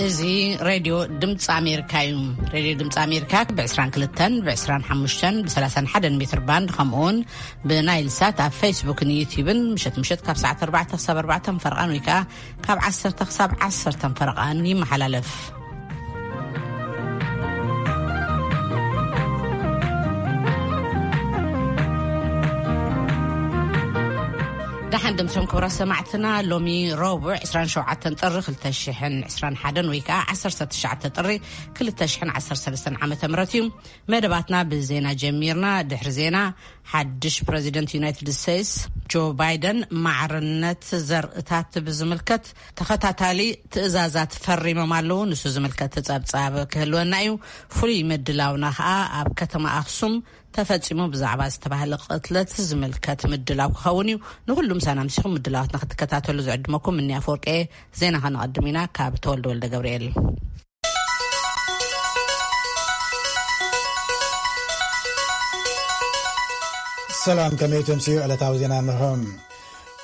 እዚ ሬድዮ ድምፂ ኣሜሪካ እዩ። ሬድዮ ድምፂ ኣሜሪካ ብ22፣ ብ25፣ ብ31 ሜትር ባንድ፣ ከምኡውን ብናይል ሳት ኣብ ፌስቡክን ዩቲዩብን ምሸት ምሸት ካብ ሰዓት ኣርባዕተ ክሳብ ኣርባዕተ ፈረቓን ወይ ከዓ ካብ ዓሰርተ ክሳብ ዓሰርተ ፈረቓን ይመሓላለፍ። ደሓን ድምሶም ክብራ ሰማዕትና፣ ሎሚ ረቡዕ ዕስራን ሸውዓተን ጥሪ ክልተ ሽሕን ዕስራን ሓደን ወይ ከዓ ዓሰርተ ትሽዓተ ጥሪ ክልተ ሽሕን ዓሰርተ ሰለስተን ዓመተ ምህረት እዩ። መደባትና ብዜና ጀሚርና። ድሕሪ ዜና፣ ሓድሽ ፕረዚደንት ዩናይትድ ስቴትስ ጆ ባይደን ማዕርነት ዘርእታት ብዝምልከት ተኸታታሊ ትእዛዛት ፈሪሞም ኣለዉ። ንሱ ዝምልከት ጸብጻብ ክህልወና እዩ። ፍሉይ ምድላውና ኸኣ ኣብ ከተማ ኣኽሱም ተፈጺሙ ብዛዕባ ዝተባህለ ቅትለት ዝምልከት ምድላው ክኸውን እዩ። ንኹሉም ሳናምሲኹም ምድላዋትና ክትከታተሉ ዝዕድመኩም እኒ ኣፈወርቂ። ዜና ከነቐድም ኢና። ካብ ተወልደ ወልደ ገብርኤል። ሰላም፣ ከመይ ትምስዩ? ዕለታዊ ዜና እንሆ።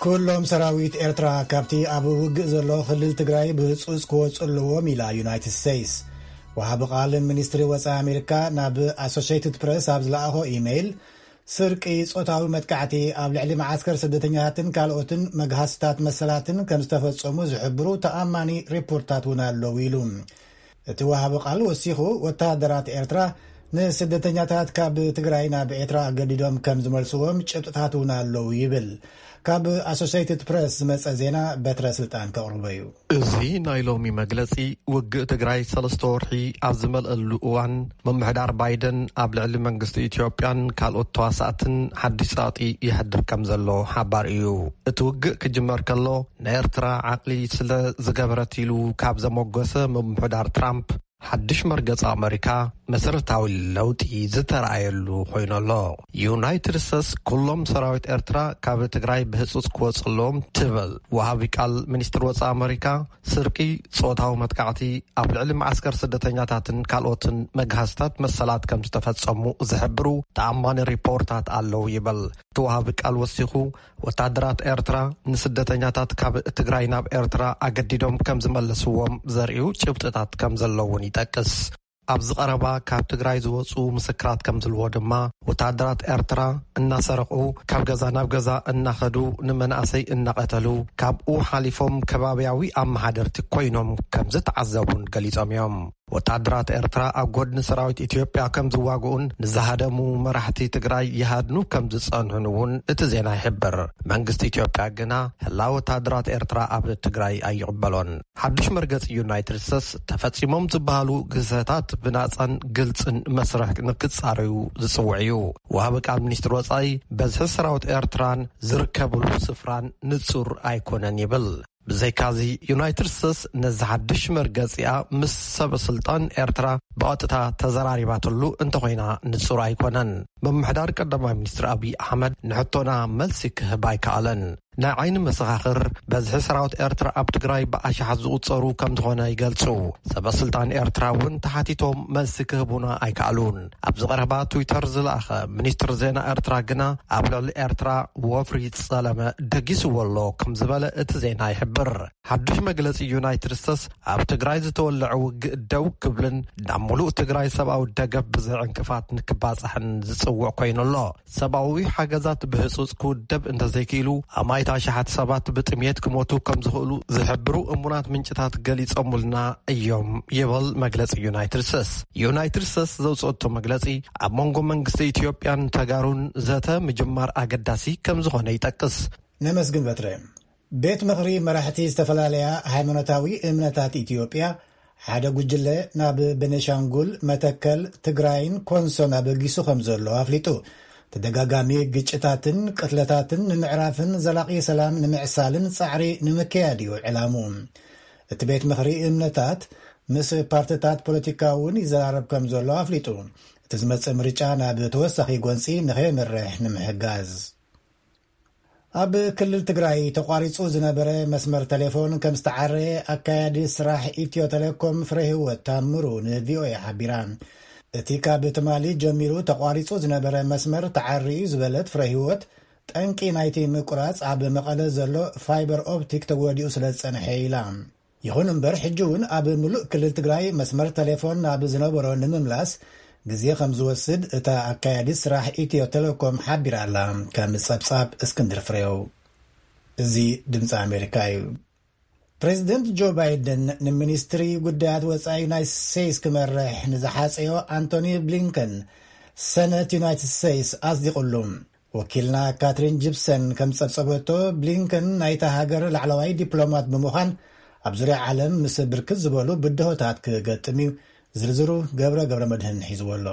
ኩሎም ሰራዊት ኤርትራ ካብቲ ኣብ ውግእ ዘሎ ክልል ትግራይ ብህጹጽ ክወጹ ኣለዎም ኢላ ዩናይትድ ስቴትስ። ወሃቢ ቃል ሚኒስትሪ ወጻኢ ኣሜሪካ ናብ ኣሶሽየትድ ፕረስ ኣብ ዝለኣኾ ኢሜይል፣ ስርቂ፣ ጾታዊ መጥቃዕቲ፣ ኣብ ልዕሊ መዓስከር ስደተኛታትን ካልኦትን መግሃስታት መሰላትን ከም ዝተፈጸሙ ዝሕብሩ ተኣማኒ ሪፖርታት እውን ኣለዉ ኢሉ። እቲ ወሃቢ ቃል ወሲኹ፣ ወተሃደራት ኤርትራ ንስደተኛታት ካብ ትግራይ ናብ ኤርትራ ኣገዲዶም ከም ዝመልስዎም ጭብጥታት እውን ኣለዉ ይብል። ካብ ኣሶሽየትድ ፕረስ ዝመጸ ዜና በትረ ስልጣን ከቕርቦ እዩ። እዚ ናይ ሎሚ መግለጺ፣ ውግእ ትግራይ ሰለስተ ወርሒ ኣብ ዝመልአሉ እዋን፣ ምምሕዳር ባይደን ኣብ ልዕሊ መንግስቲ ኢትዮጵያን ካልኦት ተዋሳእትን ሓድሽ ጸቕጢ የሕድር ከም ዘሎ ሓባር እዩ። እቲ ውግእ ክጅመር ከሎ፣ ንኤርትራ ዓቕሊ ስለ ዝገበረት ኢሉ ካብ ዘሞገሰ ምምሕዳር ትራምፕ፣ ሓድሽ መርገጺ ኣመሪካ መሰረታዊ ለውጢ ዝተረኣየሉ ኮይኑ ኣሎ። ዩናይትድ ስቴትስ፣ ኩሎም ሰራዊት ኤርትራ ካብ ትግራይ ብህጹጽ ክወጹ ኣለዎም ትብል። ወሃቢ ቃል ሚኒስትሪ ወጻኢ ኣመሪካ፣ ስርቂ፣ ጾታዊ መጥቃዕቲ፣ ኣብ ልዕሊ መዓስከር ስደተኛታትን ካልኦትን መግሃስታት መሰላት ከም ዝተፈጸሙ ዝሕብሩ ተኣማኒ ሪፖርታት ኣለዉ ይብል። እቲ ወሃቢ ቃል ወሲኹ፣ ወታደራት ኤርትራ ንስደተኛታት ካብ ትግራይ ናብ ኤርትራ ኣገዲዶም ከም ዝመለስዎም ዘርእዩ ጭብጥታት ከም ዘለውን ይጠቅስ። ኣብዚ ቀረባ ካብ ትግራይ ዝወጹ ምስክራት ከም ዝልዎ ድማ፣ ወታደራት ኤርትራ እናሰረቑ፣ ካብ ገዛ ናብ ገዛ እናኸዱ ንመናእሰይ እናቐተሉ፣ ካብኡ ሓሊፎም ከባብያዊ ኣመሓደርቲ ኮይኖም ከም ዝተዓዘቡን ገሊጾም እዮም። ወታደራት ኤርትራ ኣብ ጎድኒ ሰራዊት ኢትዮጵያ ከም ዝዋግኡን ንዝሃደሙ መራሕቲ ትግራይ ይሃድኑ ከም ዝጸንሑን እውን እቲ ዜና ይሕብር። መንግስቲ ኢትዮጵያ ግና ህላወ ወታደራት ኤርትራ ኣብ ትግራይ ኣይቕበሎን። ሓድሽ መርገጺ ዩናይትድ ስቴትስ፣ ተፈጺሞም ዝበሃሉ ግህሰታት ብናጻን ግልጽን መስርሕ ንክጻረዩ ዝጽውዕ እዩ። ወሃቢ ቃል ሚኒስትሪ ወጻኢ፣ በዝሒ ሰራዊት ኤርትራን ዝርከብሉ ስፍራን ንጹር ኣይኮነን ይብል። ብዘይካዚ፣ ዩናይትድ ስቴትስ ነዚ ሓድሽ መርገጺኣ ምስ ሰበ ስልጣን ኤርትራ ብቐጥታ ተዘራሪባትሉ እንተኾይና ንጹር ኣይኮነን። ምምሕዳር ቀዳማይ ሚኒስትር ኣብይ ኣሕመድ ንሕቶና መልሲ ክህብ ኣይከኣለን። ናይ ዓይኒ መሰኻኽር፣ በዝሒ ሰራዊት ኤርትራ ኣብ ትግራይ ብኣሽሓት ዝቑጸሩ ከም ዝኾነ ይገልጹ። ሰበ ስልጣን ኤርትራ እውን ተሓቲቶም መልሲ ክህቡና ኣይከኣሉን። ኣብዚ ቀረባ ትዊተር ዝለኣኸ ሚኒስትር ዜና ኤርትራ ግና፣ ኣብ ልዕሊ ኤርትራ ወፍሪ ጸለመ ደጊስዎ ኣሎ ከም ዝበለ እቲ ዜና ይሕብር። ሓድሽ መግለጺ ዩናይትድ ስቴትስ፣ ኣብ ትግራይ ዝተወለዐ ውግእ ደው ክብልን ናብ ሙሉእ ትግራይ ሰብኣዊ ደገፍ ብዘይ ዕንቅፋት ንክባጻሕን ዝጽውዕ ኮይኑ ኣሎ። ሰብኣዊ ሓገዛት ብህጹጽ ክውደብ እንተዘይክኢሉ፣ ኣማኢት ኣሽሓት ሰባት ብጥምየት ክሞቱ ከም ዝኽእሉ ዝሕብሩ እሙናት ምንጭታት ገሊጾምልና እዮም ይብል መግለጺ ዩናይትድ ስቴትስ። ዩናይትድ ስቴትስ ዘውጽኦቶ መግለጺ፣ ኣብ መንጎ መንግስቲ ኢትዮጵያን ተጋሩን ዘተ ምጅማር ኣገዳሲ ከም ዝኾነ ይጠቅስ። ነመስግን በትረ። ቤት ምኽሪ መራሕቲ ዝተፈላለያ ሃይማኖታዊ እምነታት ኢትዮጵያ፣ ሓደ ጉጅለ ናብ ቤኒሻንጉል፣ መተከል፣ ትግራይን ኮንሶን ኣበጊሱ ከም ዘሎ ኣፍሊጡ። ተደጋጋሚ ግጭታትን ቅትለታትን ንምዕራፍን ዘላቒ ሰላም ንምዕሳልን ጻዕሪ ንምክያድ እዩ ዕላሙ። እቲ ቤት ምኽሪ እምነታት ምስ ፓርትታት ፖለቲካ እውን ይዘራረብ ከም ዘሎ ኣፍሊጡ። እቲ ዝመጽእ ምርጫ ናብ ተወሳኺ ጎንጺ ንኸየምርሕ ንምሕጋዝ። ኣብ ክልል ትግራይ ተቋሪጹ ዝነበረ መስመር ቴሌፎን ከም ዝተዓረየ ኣካያዲ ስራሕ ኢትዮ ቴሌኮም ፍረ ህይወት ታምሩ ንቪኦኤ ሓቢራ። እቲ ካብ ትማሊ ጀሚሩ ተቋሪጹ ዝነበረ መስመር ተዓርዩ ዝበለት ፍረ ህይወት፣ ጠንቂ ናይቲ ምቁራጽ ኣብ መቐለ ዘሎ ፋይበር ኦፕቲክ ተጎዲኡ ስለ ዝጸንሐ ኢላ። ይኹን እምበር፣ ሕጂ እውን ኣብ ምሉእ ክልል ትግራይ መስመር ቴሌፎን ናብ ዝነበሮ ንምምላስ ግዜ ከም ዝወስድ እታ ኣካያዲት ስራሕ ኢትዮ ቴሌኮም ሓቢራ ኣላ። ከም ጸብጻብ እስክንድር ፍሬው። እዚ ድምፂ ኣሜሪካ እዩ። ፕሬዚደንት ጆ ባይደን ንሚኒስትሪ ጉዳያት ወፃኢ ዩናይትድ ስቴትስ ክመርሕ ንዝሓፀዮ ኣንቶኒ ብሊንከን ሰነት ዩናይትድ ስቴትስ ኣጽዲቑሉ። ወኪልና ካትሪን ጂፕሰን ከም ዝጸብጸበቶ፣ ብሊንከን ናይታ ሃገር ላዕለዋይ ዲፕሎማት ብምዃን ኣብ ዙርያ ዓለም ምስ ብርክት ዝበሉ ብድሆታት ክገጥም እዩ። ዝርዝሩ ገብረ ገብረ መድህን ሒዝዎ ኣሎ።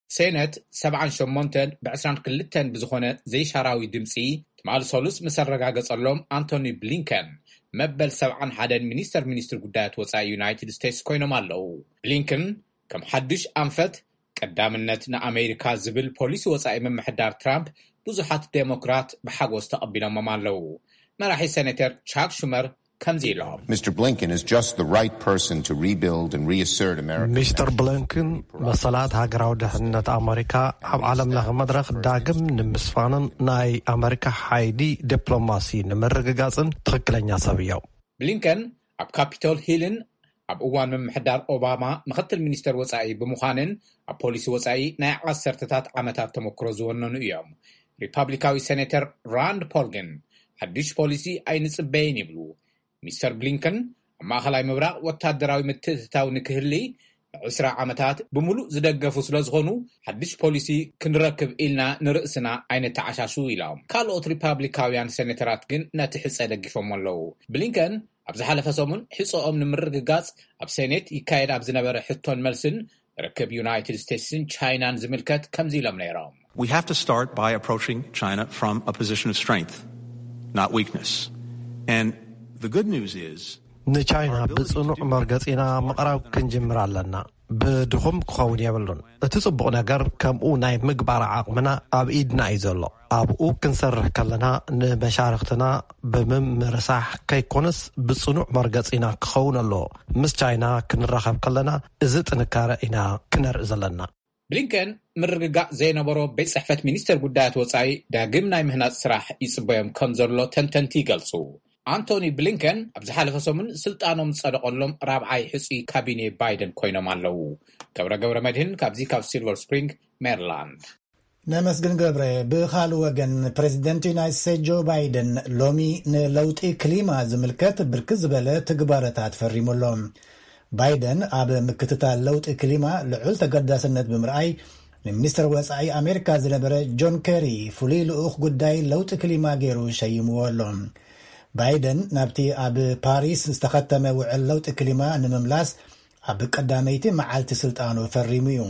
ሴነት ሰብዓን ሸሞንተን ብ ዕስራን ክልተን ብዝኾነ ዘይሻራዊ ድምፂ ትማሊ ሰሉስ ምስ ኣረጋገጸሎም፣ ኣንቶኒ ብሊንከን መበል ሰብዓን ሓደን ሚኒስተር ሚኒስትሪ ጉዳያት ወጻኢ ዩናይትድ ስቴትስ ኮይኖም ኣለዉ። ብሊንከን ከም ሓዱሽ ኣንፈት ቀዳምነት ንኣሜሪካ ዝብል ፖሊሲ ወጻኢ ምምሕዳር ትራምፕ ብዙሓት ዴሞክራት ብሓጎስ ተቐቢሎሞም ኣለዉ። መራሒ ሴኔተር ቻክ ሹመር ከምዚ ኢሎም። Mister Blinken is just the right person to rebuild and reassert America's ሚስተር ብሊንከን መሰላት ሃገራዊ ድሕነት ኣመሪካ ኣብ ዓለም ለኸ መድረኽ ዳግም ንምስፋንን ናይ ኣመሪካ ሓይሊ ዲፕሎማሲ ንምርግጋጽን ትኽክለኛ ሰብ እዮም። ብሊንከን ኣብ ካፒቶል ሂልን ኣብ እዋን ምምሕዳር ኦባማ ምኽትል ሚኒስተር ወጻኢ ብምዃንን ኣብ ፖሊሲ ወጻኢ ናይ ዓሰርተታት ዓመታት ተመክሮ ዝወነኑ እዮም። ሪፓብሊካዊ ሴኔተር ራንድ ፖል ግን ሓድሽ ፖሊሲ ኣይንጽበይን ይብሉ። ሚስተር ብሊንከን ኣብ ማእኸላይ ምብራቕ ወታደራዊ ምትእትታው ንክህሊ ንዕስራ ዓመታት ብምሉእ ዝደገፉ ስለ ዝኾኑ፣ ሓድሽ ፖሊሲ ክንረክብ ኢልና ንርእስና ኣይነተዓሻሹ ኢሎም። ካልኦት ሪፓብሊካውያን ሴኔተራት ግን ነቲ ሕጸ ደጊፎም ኣለዉ። ብሊንከን ኣብ ዝሓለፈ ሰሙን ሕጸኦም ንምርግጋጽ ኣብ ሴኔት ይካየድ ኣብ ዝነበረ ሕቶን መልስን ርክብ ዩናይትድ ስቴትስን ቻይናን ዝምልከት ከምዚ ኢሎም ነይሮም። We have to start by approaching China from a position of strength, not weakness. And the good news is ንቻይና ብጽኑዕ መርገጺና ምቕራብ ክንጅምር ኣለና። ብድኹም ክኸውን የብሉን። እቲ ጽቡቕ ነገር ከምኡ ናይ ምግባር ዓቕምና ኣብ ኢድና እዩ ዘሎ። ኣብኡ ክንሰርሕ ከለና ንመሻርኽትና ብምምርሳሕ ከይኮነስ ብጽኑዕ መርገጺና ክኸውን ኣለዎ። ምስ ቻይና ክንራኸብ ከለና እዚ ጥንካረ ኢና ክነርኢ ዘለና። ብሊንከን ምርግጋእ ዘይነበሮ ቤት ጽሕፈት ሚኒስተር ጉዳያት ወጻኢ ዳግም ናይ ምህናጽ ስራሕ ይጽበዮም ከም ዘሎ ተንተንቲ ይገልጹ። ኣንቶኒ ብሊንከን ኣብ ዝሓለፈ ሰሙን ስልጣኖም ዝጸደቐሎም ራብዓይ ሕጹይ ካቢኔ ባይደን ኮይኖም ኣለዉ። ገብረ ገብረ መድህን ካብዚ ካብ ሲልቨር ስፕሪንግ ሜሪላንድ። ነመስግን ገብረ። ብኻልእ ወገን፣ ፕሬዚደንት ዩናይትድ ስቴትስ ጆ ባይደን ሎሚ ንለውጢ ክሊማ ዝምልከት ብርክት ዝበለ ትግባረታት ፈሪሙ ኣሎ። ባይደን ኣብ ምክትታል ለውጢ ክሊማ ልዑል ተገዳስነት ብምርኣይ፣ ንሚኒስትር ወጻኢ ኣሜሪካ ዝነበረ ጆን ኬሪ ፍሉይ ልኡኽ ጉዳይ ለውጢ ክሊማ ገይሩ ሸይምዎ ኣሎ። ባይደን ናብቲ ኣብ ፓሪስ ዝተኸተመ ውዕል ለውጢ ክሊማ ንምምላስ ኣብ ቀዳመይቲ መዓልቲ ስልጣኑ ፈሪሙ እዩ።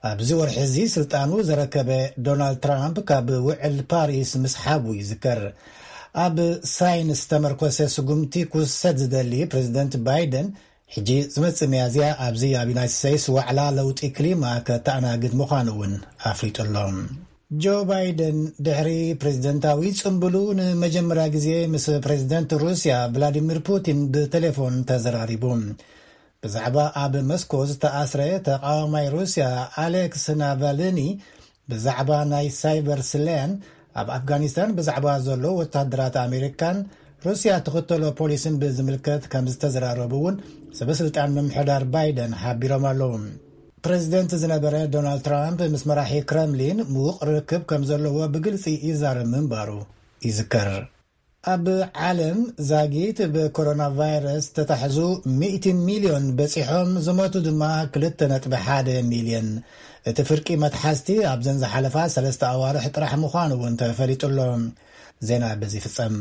ኣብዚ ወርሒ እዚ ስልጣኑ ዘረከበ ዶናልድ ትራምፕ ካብ ውዕል ፓሪስ ምስሓቡ ይዝከር። ኣብ ሳይንስ ዝተመርኮሰ ስጉምቲ ክውሰድ ዝደሊ ፕሬዚደንት ባይደን፣ ሕጂ ዝመጽእ ሚያዝያ ኣብዚ ኣብ ዩናይትድ ስቴትስ ዋዕላ ለውጢ ክሊማ ከተኣናግድ ምዃኑ እውን ኣፍሊጡ ኣሎ። ጆ ባይደን ድሕሪ ፕሬዚደንታዊ ጽምብሉ ንመጀመርያ ግዜ ምስ ፕሬዚደንት ሩስያ ቭላዲሚር ፑቲን ብቴሌፎን ተዘራሪቡ። ብዛዕባ ኣብ መስኮ ዝተኣስረ ተቓዋማይ ሩስያ ኣሌክስ ናቫልኒ፣ ብዛዕባ ናይ ሳይበር ስለያን፣ ኣብ ኣፍጋኒስታን ብዛዕባ ዘሎ ወታደራት ኣሜሪካን ሩስያ ትኽተሎ ፖሊስን ብዝምልከት ከም ዝተዘራረቡ እውን ሰበስልጣን ምምሕዳር ባይደን ሓቢሮም ኣለዉ። ፕሬዚደንት ዝነበረ ዶናልድ ትራምፕ ምስ መራሒ ክረምሊን ምዉቕ ርክብ ከም ዘለዎ ብግልጺ ይዛረብ ምንባሩ ይዝከር። ኣብ ዓለም ዛጊት ብኮሮና ቫይረስ ተታሕዙ ሚእቲ ሚልዮን በጺሖም፣ ዝሞቱ ድማ ክልተ ነጥቢ ሓደ ሚልዮን። እቲ ፍርቂ መትሓዝቲ ኣብዘን ዝሓለፋ ሰለስተ ኣዋርሕ ጥራሕ ምዃኑ እውን ተፈሊጡ ኣሎ። ዜና በዚ ይፍጸም።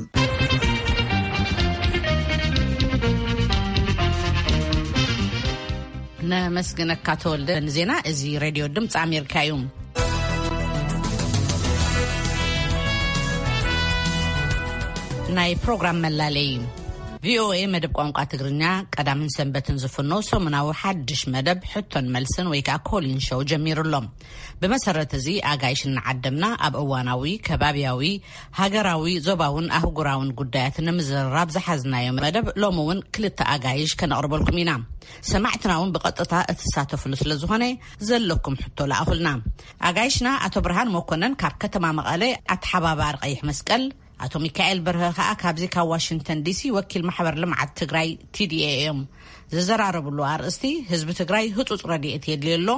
ነመስግነካ ተወልደ ንዜና። እዚ ሬድዮ ድምፂ ኣሜሪካ እዩ። ናይ ፕሮግራም መላለይ። ቪኦኤ መደብ ቋንቋ ትግርኛ ቀዳምን ሰንበትን ዝፍኖ ሰሙናዊ ሓድሽ መደብ ሕቶን መልስን ወይ ከዓ ኮሊን ሾው ጀሚሩ ኣሎ። ብመሰረት እዚ ኣጋይሽ እናዓደምና ኣብ እዋናዊ፣ ከባብያዊ፣ ሃገራዊ፣ ዞባውን ኣህጉራውን ጉዳያት ንምዝርራብ ዝሓዝናዮ መደብ ሎሚ እውን ክልተ ኣጋይሽ ከነቕርበልኩም ኢና። ሰማዕትና እውን ብቐጥታ እትሳተፍሉ ስለ ዝኾነ ዘለኩም ሕቶ ለኣኹልና። ኣጋይሽና ኣቶ ብርሃን መኮነን ካብ ከተማ መቐለ ኣተሓባባሪ ቀይሕ መስቀል፣ ኣቶ ሚካኤል በርሀ ከኣ ካብዚ ካብ ዋሽንግተን ዲሲ ወኪል ማሕበር ልምዓት ትግራይ፣ ቲ ዲ ኤ፣ እዮም። ዝዘራረብሉ ኣርእስቲ፣ ህዝቢ ትግራይ ህጹጽ ረድኤት የድልዮ ኣሎ፣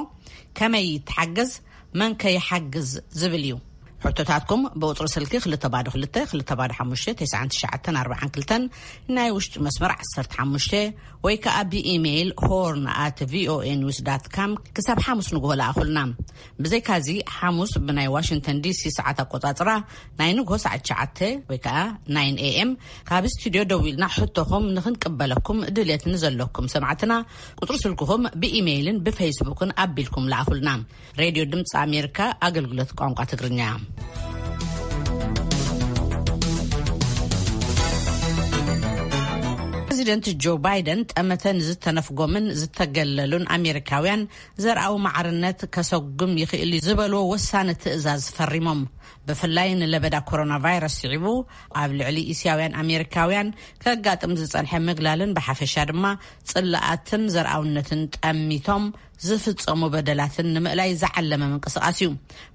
ከመይ ይተሓገዝ፣ መን ከ ይሓግዝ ዝብል እዩ። ሕቶታትኩም ብቁጽሪ ስልኪ ክልተ ባዶ ክልተ፣ ክልተ ባዶ ሓሙሽተ፣ ተስዓን ትሽዓተን ኣርባዓን ክልተን፣ ናይ ውሽጢ መስመር ዓሰርተ ሓሙሽተ፣ ወይ ከኣ ብኢሜይል ሆርን ኣት ቪ ኦ ኤ ኒውስ ዳት ካም ክሳብ ሓሙስ ንግሆ ለኣኹልና። ብዘይካዚ፣ ሓሙስ ብናይ ዋሽንግተን ዲ ሲ ሰዓት ኣቆጻጽራ፣ ናይ ንግሆ ሰዓት ትሽዓተ ወይ ከኣ ናይን ኤ ኤም፣ ካብ ስቱድዮ ደዊልና ሕቶኹም ንኽንቅበለኩም ድልየት ንዘለኩም ሰማዕትና፣ ቁጽሪ ስልክኹም ብኢሜይልን ብፌስቡክን ኣቢልኩም ለኣኹልና። ሬድዮ ድምፂ ኣሜሪካ፣ ኣገልግሎት ቋንቋ ትግርኛ። ፕሬዚደንት ጆ ባይደን ጠመተ ንዝተነፍጎምን ዝተገለሉን ኣሜሪካውያን ዘርኣዊ ማዕርነት ከሰጉም ይኽእል እዩ ዝበልዎ ወሳኒ ትእዛዝ ፈሪሞም። ብፍላይ ንለበዳ ኮሮና ቫይረስ ስዒቡ ኣብ ልዕሊ እስያውያን ኣሜሪካውያን ከጋጥም ዝጸንሐ ምግላልን ብሓፈሻ ድማ ጽላኣትን ዘርኣውነትን ጠሚቶም ዝፍጸሙ በደላትን ንምእላይ ዝዓለመ ምንቅስቓስ እዩ።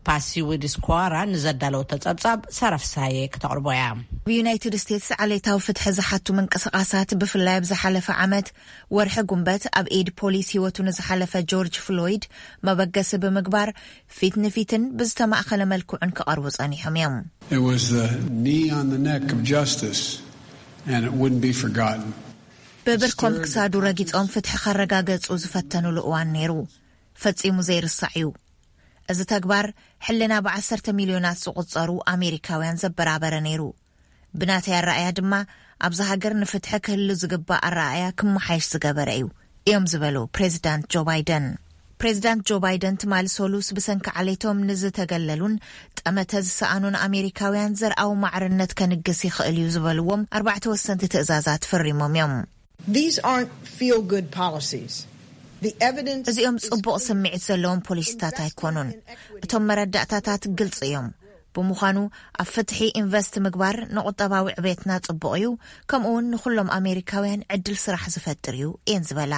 ፓሲ ዊድስኳራ ንዘዳለወቶ ጸብጻብ ሳራ ፍስሃየ ክተቕርቦ እያ። ኣብ ዩናይትድ ስቴትስ ዓሌታዊ ፍትሒ ዝሓቱ ምንቅስቓሳት፣ ብፍላይ ኣብ ዝሓለፈ ዓመት ወርሒ ጉንበት ኣብ ኢድ ፖሊስ ህይወቱ ንዝሓለፈ ጆርጅ ፍሎይድ መበገሲ ብምግባር፣ ፊት ንፊትን ብዝተማእኸለ መልክዑን ክቐርቡ ጸኒሖም እዮም። It was the knee on the neck of justice, and it wouldn't be forgotten. ብብርኮም ክሳዱ ረጊጾም ፍትሒ ከረጋገጹ ዝፈተኑሉ እዋን ነይሩ። ፈጺሙ ዘይርሳዕ እዩ። እዚ ተግባር ሕልና ብዓሰርተ ሚልዮናት ዝቑጸሩ ኣሜሪካውያን ዘበራበረ ነይሩ። ብናተይ ኣረኣእያ ድማ፣ ኣብዚ ሃገር ንፍትሒ ክህሉ ዝግባእ ኣረኣእያ ክመሓየሽ ዝገበረ እዩ፣ እዮም ዝበሉ ፕሬዚዳንት ጆ ባይደን። ፕሬዚዳንት ጆ ባይደን ትማሊ ሰሉስ ብሰንኪ ዓሌቶም ንዝተገለሉን ጠመተ ዝሰኣኑን ኣሜሪካውያን ዘርኣዊ ማዕርነት ከንግስ ይኽእል እዩ ዝበልዎም ኣርባዕተ ወሰንቲ ትእዛዛት ፈሪሞም እዮም። These aren't feel-good policies. The evidence እዚኦም is ጽቡቕ clear. ስምዒት ዘለዎም ፖሊሲታት ኣይኮኑን። እቶም መረዳእታታት ግልጺ እዮም። ብምዃኑ፣ ኣብ ፍትሒ ኢንቨስት ምግባር ንቁጠባዊ ዕቤትና ጽቡቕ እዩ፣ ከምኡ እውን ንኹሎም ኣሜሪካውያን ዕድል ስራሕ ዝፈጥር እዩ እየን ዝበላ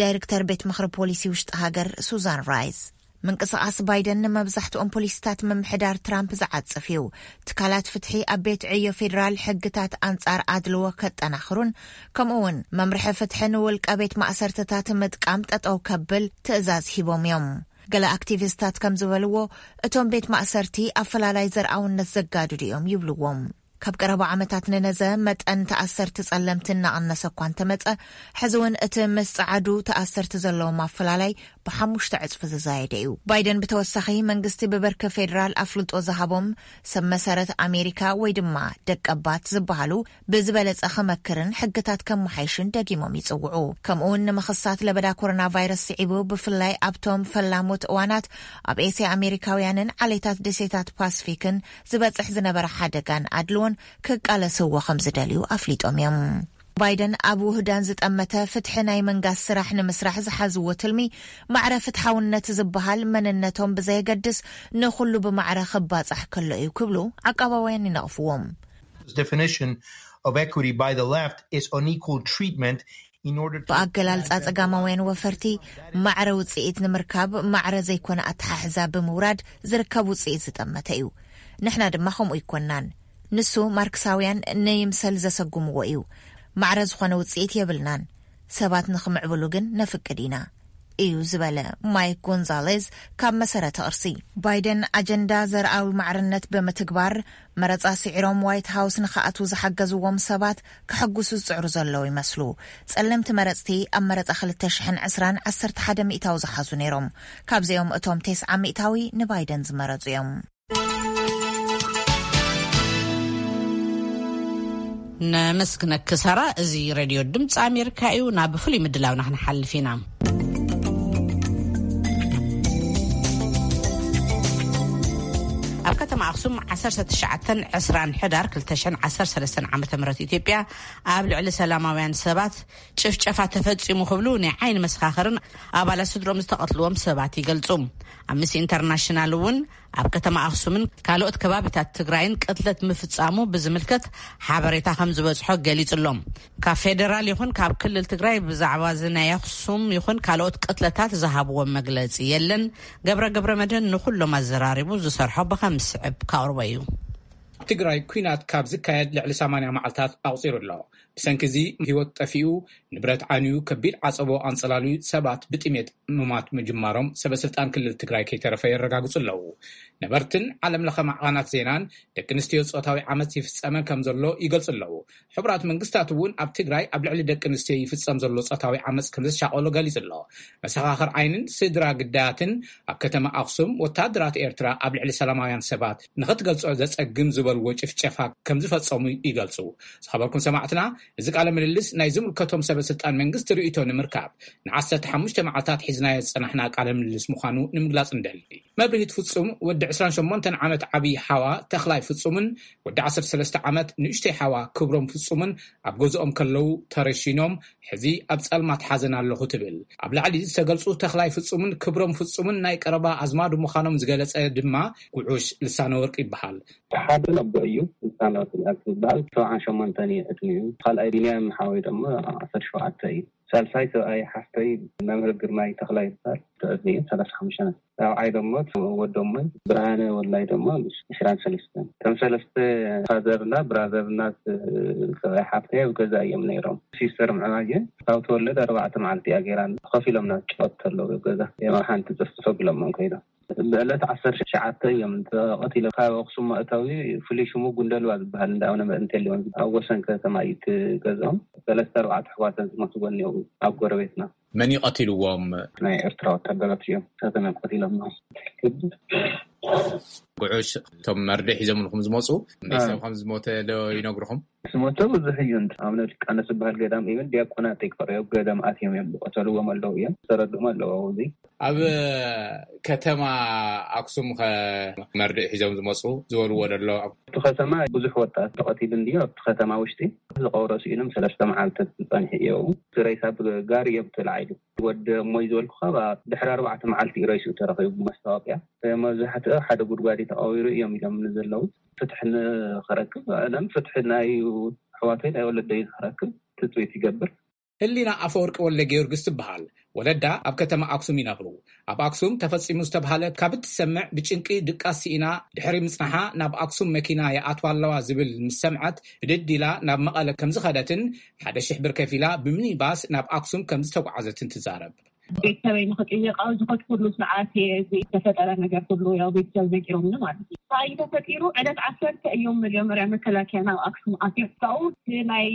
ዳይሬክተር ቤት ምኽሪ ፖሊሲ ውሽጢ ሃገር ሱዛን ራይስ። ምንቅስቓስ ባይደን ንመብዛሕትኦም ፖሊሲታት ምምሕዳር ትራምፕ ዝዓጽፍ እዩ። ትካላት ፍትሒ ኣብ ቤት ዕዮ ፌዴራል ሕግታት ኣንጻር ኣድልዎ ከጠናኽሩን፣ ከምኡ እውን መምርሒ ፍትሒ ንውልቀ ቤት ማእሰርትታት ምጥቃም ጠጠው ከብል ትእዛዝ ሂቦም እዮም። ገለ ኣክቲቪስታት ከም ዝበልዎ፣ እቶም ቤት ማእሰርቲ ኣፈላላይ ዘርኣውነት ዘጋድዱ እዮም ይብልዎም። ካብ ቀረባ ዓመታት ንነዘ መጠን ተኣሰርቲ ጸለምቲ እናቐነሰ እኳ እንተመጸ፣ ሕዚ እውን እቲ ምስ ጸዓዱ ተኣሰርቲ ዘለዎም ኣፈላላይ ብሓሙሽተ ዕጽፊ ዝዛየደ እዩ። ባይደን ብተወሳኺ፣ መንግስቲ ብበርኪ ፌዴራል ኣፍልጦ ዝሃቦም ሰብ መሰረት ኣሜሪካ ወይ ድማ ደቀባት ዝበሃሉ ብዝበለጸ ክመክርን ሕግታት ከመሓይሽን ደጊሞም ይጽውዑ። ከምኡውን ንምኽሳት ለበዳ ኮሮና ቫይረስ ስዒቡ፣ ብፍላይ ኣብቶም ፈላሞት እዋናት ኣብ ኤስያ ኣሜሪካውያንን ዓሌታት ደሴታት ፓስፊክን ዝበጽሕ ዝነበረ ሓደጋን ኣድልዎን ክቃለስዎ ከም ዝደልዩ ኣፍሊጦም እዮም። ባይደን ኣብ ውህዳን ዝጠመተ ፍትሒ ናይ መንጋስ ስራሕ ንምስራሕ ዝሓዝዎ ትልሚ፣ ማዕረ ፍትሓውነት ዝበሃል መንነቶም ብዘየገድስ ንኹሉ ብማዕረ ክባጻሕ ከሎ እዩ ክብሉ ዓቃባውያን ይነቕፍዎም። Definition of equity by the left is unequal treatment in order to ብኣገላልጻ ጸጋማውያን ወፈርቲ፣ ማዕረ ውጽኢት ንምርካብ ማዕረ ዘይኮነ ኣተሓሕዛ ብምውራድ ዝርከብ ውጽኢት ዝጠመተ እዩ። ንሕና ድማ ከምኡ ኣይኮናን። ንሱ ማርክሳውያን ንይምሰል ዘሰጉምዎ እዩ። ማዕረ ዝኾነ ውጽኢት የብልናን። ሰባት ንኽምዕብሉ ግን ነፍቅድ ኢና፣ እዩ ዝበለ ማይክ ጎንዛሌዝ ካብ መሰረተ ቅርሲ። ባይደን ኣጀንዳ ዘርኣዊ ማዕርነት ብምትግባር፣ መረጻ ስዒሮም ዋይት ሃውስ ንኽኣትዉ ዝሓገዝዎም ሰባት ከሐጉሱ ዝጽዕሩ ዘለዉ ይመስሉ። ጸለምቲ መረጽቲ ኣብ መረጻ ክልተ ሽሕን ዕስራን ዓሰርተ ሓደ ሚእታዊ ዝሓዙ ነይሮም። ካብዚኦም እቶም ተስዓ ሚእታዊ ንባይደን ዝመረጹ እዮም። ነመስግነኪ ሳራ። እዚ ሬድዮ ድምፂ ኣሜሪካ እዩ። ናብ ፍሉይ ምድላውና ክንሓልፍ ኢና። ኣብ ከተማ ኣኽሱም ዓሰርተ ትሽዓተን ዕስራን ሕዳር ክልተ ሽሕን ዓሰርተ ሰለስተን ዓመተ ምህረት ኢትዮጵያ ኣብ ልዕሊ ሰላማውያን ሰባት ጭፍጨፋ ተፈጺሙ ክብሉ ናይ ዓይኒ መሰኻኽርን ኣባላት ስድሮም ዝተቐትልዎም ሰባት ይገልጹ። ኣምነስቲ ኢንተርናሽናል እውን ኣብ ከተማ ኣኽሱምን ካልኦት ከባቢታት ትግራይን ቅትለት ምፍጻሙ ብዝምልከት ሓበሬታ ከም ዝበጽሖ ገሊጹ ኣሎ። ካብ ፌደራል ይኹን ካብ ክልል ትግራይ ብዛዕባ እዚ ናይ ኣኽሱም ይኹን ካልኦት ቅትለታት ዝሃብዎ መግለጺ የለን። ገብረ ገብረ መድህን ንኹሎም ኣዘራሪቡ ዝሰርሖ ብኸም ዝስዕብ ከቕርቦ እዩ። ትግራይ ኲናት ካብ ዝካየድ ልዕሊ ሰማንያ መዓልታት ኣቑጺሩ ኣሎ። ብሰንኪ እዚ ህይወት ጠፊኡ፣ ንብረት ዓንዩ፣ ከቢድ ዓጸቦ ኣንጸላልዩ፣ ሰባት ብጥሜት ምማት ምጅማሮም ሰበ ስልጣን ክልል ትግራይ ከይተረፈ የረጋግጹ ኣለዉ። ነበርትን ዓለም ለኸ ማዕኸናት ዜናን ደቂ ኣንስትዮ ጾታዊ ዓመጽ ይፍጸመ ከም ዘሎ ይገልጹ ኣለዉ። ሕቡራት መንግስታት እውን ኣብ ትግራይ ኣብ ልዕሊ ደቂ ኣንስትዮ ይፍጸም ዘሎ ጾታዊ ዓመጽ ከም ዘሻቐሎ ገሊጹ ኣሎ። መሰኻኽር ዓይንን ስድራ ግዳያትን ኣብ ከተማ ኣኽሱም ወታደራት ኤርትራ ኣብ ልዕሊ ሰላማውያን ሰባት ንኽትገልጾ ዘጸግም ዝበልዎ ጭፍጨፋ ከም ዝፈጸሙ ይገልጹ። ዝኸበርኩም ሰማዕትና፣ እዚ ቃለ ምልልስ ናይ ዝምልከቶም ሰበ ስልጣን መንግስቲ ርእይቶ ንምርካብ ንዓሰርተ ሓሙሽተ መዓልታት ሒዝናዮ ዝጸናሕና ቃለ ምልልስ ምዃኑ ንምግላጽ እንደሊ። መብርሂት ፍጹም ወዲ ዕስራን ሸሞንተን ዓመት ዓብዪ ሓዋ ተኽላይ ፍጹምን ወዲ ዓሰርተ ሰለስተ ዓመት ንእሽተይ ሓዋ ክብሮም ፍጹምን ኣብ ገዝኦም ከለዉ ተረሺኖም፣ ሕዚ ኣብ ጸልማት ሓዘን ኣለኹ ትብል። ኣብ ላዕሊ ዝተገልጹ ተኽላይ ፍጹምን ክብሮም ፍጹምን ናይ ቀረባ ኣዝማዱ ምዃኖም ዝገለጸ ድማ ጉዑሽ ልሳነ ወርቅ ይበሃል። ሓደ ነቦ እዩ፣ ልሳነ ወርቅ ዝበሃል፣ ሰብዓን ሸሞንተን እዩ ዕድሚኡ። ካልኣይ ቢንያም ሓወይ ድማ ዓሰርተ ሸውዓተ እዩ። ሳልሳይ ሰብኣይ ሓፍተይ መምህር ግርማይ ተኽላይ ይበሃል። ተዕድሚኡ ሰላሳ ሓሙሽተ ዓመት። ራብዓይ ደሞ ወዶሞይ ብርሃነ ወላይ ደሞ ዕስራን ሰለስተን። እቶም ሰለስተ ፋዘርና ብራዘርና ሰብኣይ ሓፍተይ ኣብ ገዛ እዮም ነይሮም። ሲስተር ምዕራየ ካብ ተወለደ ኣርባዕተ መዓልቲ እያ ገይራ። ኮፍ ኢሎም ናብ ጨወት ተለዉ ገዛ እዮም ኣብ ሓንቲ ጽፍጽፍ ኣቢሎሞም ከይዶም። ብዕለት ዓሰርተ ትሽዓተ እዮም ተቐቲሎም። ካብ ኣኽሱም መእተዊ ፍሉይ ሽሙ ጉንደልባ ዝበሃል እንዳ ኣቡነ መእንቴሌዎን ኣብ ወሰን ከተማ እዩ እቲ ገዝኦም። ሰለስተ ኣርባዕተ ኣሕዋተን ዝሞትዎ እኒአው ኣብ ጎረቤትና። መን እዩ ቀቲልዎም? ናይ ኤርትራ ወታደራት እዮም እሳቶም እዮም ቀቲሎሞ። ጉዑሽ እቶም መርድእ ሒዞምልኩም ዝመፁ፣ መን ሰብ ከም ዝሞተ ዶ ይነግርኹም? ዝሞተ ብዙሕ እዩ። እንተ ኣቡነ ሊቃኖስ ዝበሃል ገዳም ኢቨን ዲያቆናት ይቅረዩ ገዳም ኣትዮም እዮም ዝቀተልዎም ኣለዉ እዮም። ዝተረድኦም ኣለዉ ኣብዚ። ኣብ ከተማ ኣክሱም ከ መርድእ ሒዞም ዝመፁ ዝበልዎ ደሎ? ኣብቲ ከተማ ብዙሕ ወጣት ተቐቲሉ እንድዩ። ኣብቲ ከተማ ውሽጢ ዝቐብሮ ስኢኖም ሰለስተ መዓልቲ ዝጸንሑ እዮም። እቲ ሬሳ ብጋሪ እዮም ተላዒሉ። ወዲ እሞይ ዝበልኩኻ ድሕሪ ኣርባዕተ መዓልቲ እዩ ሬስኡ ተረኺቡ ብመስታወቅያ። መብዛሕትኡ ሓደ ጉድጓድ እዩ ተቐቢሩ እዮም ኢሎም ዘለዉ። ፍትሒ ንኽረክብ፣ ኣለም ፍትሒ ናይ ኣሕዋተይ ናይ ወለደይ ንኽረክብ ትጽቢት ይገብር። ህሊና ኣፈወርቂ ወልደ ጊዮርጊስ ትበሃል። ወለዳ ኣብ ከተማ ኣክሱም ይነብሩ። ኣብ ኣክሱም ተፈጺሙ ዝተብሃለ ካብ እትሰምዕ ብጭንቂ ድቃስ ስኢና ድሕሪ ምጽናሓ ናብ ኣክሱም መኪና ይኣትዋ ኣለዋ ዝብል ምስ ሰምዐት ብድድ ኢላ ናብ መቐለ ከም ዝኸደትን ሓደ ሽሕ ብር ከፊላ ብሚኒባስ ናብ ኣክሱም ከም ዝተጓዓዘትን ትዛረብ። ቤተሰበይ ንኽጥይቕ ኣብ ዝኸድኩሉ ሰዓት እየ እዚ ዝተፈጠረ ነገር ኩሉ ያው ቤተሰብ ነጊሮምኒ ማለት እዩ። እንታይ ተፈጢሩ? ዕለት ዓሰርተ እዮም መጀመርያ መከላከያ ናብ ኣክሱም ኣትዮም። ካብኡ እቲ ናይ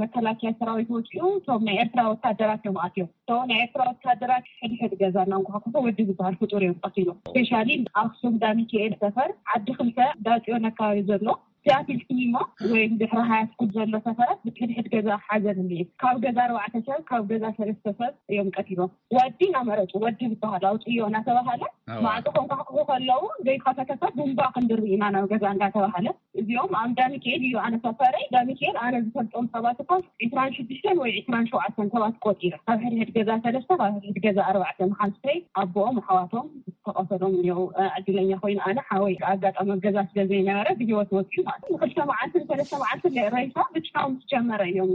መከላከያ ሰራዊት ወፂኡ እቶም ናይ ኤርትራ ወታደራት እዮም ኣትዮም። እቶም ናይ ኤርትራ ወታደራት ሕድሕድ ገዛ እናንኳሕኩሑ ወዲ ዝበሃል ፍጡር እዮም ቀቲሎም። ስፔሻሊ ኣክሱም ዳሚካኤል ሰፈር ዓዲ ክልተ ዳፅዮን ኣካባቢ ዘሎ ሲያትል ሲኒማ ወይ ድሕሪ ሃያ ስኩል ዘሎ ሰፈራት ብሕድሕድ ገዛ ሓዘን እኒኤ። ካብ ገዛ ኣርባዕተ ሰብ፣ ካብ ገዛ ሰለስተ ሰብ እዮም ቀቲሎም። ወዲ እናመረፁ፣ ወዲ ዝበሃል ኣውፅዮ እናተባሃለ እዋ። ማዕፆ ከንኳሕኩሑ ከለዉ ዘይከፈተ ሰብ ቡምባ ክንድሪ ኢና ናብ ገዛ እንዳተባሃለ። እዚኦም ኣብ ዳሚካኤል እዩ ኣነ ሰፈረይ። ዳሚካኤል ኣነ ዝፈልጦም ሰባት እኮ ዒስራን ሽዱሽተን ወይ ዒስራን ሸውዓተን ሰባት ቆፂረ። ካብ ሕድሕድ ገዛ ሰለስተ፣ ካብ ሕድሕድ ገዛ ኣርባዕተ፣ መሓዙተይ፣ ኣቦኦም፣ ኣሕዋቶም ዝተቐተሎም እኒኦ። ዕድለኛ ኮይኑ ኣነ ሓወይ ኣጋጣሚ ኣብ ገዛ ስለ ዘይነበረ ብህይወት ወፂኡ ማለት እዩ። ንክልተ መዓልቲ ንሰለስተ መዓልቲ ሬሳ ብቻው ምስ ጀመረ እዮም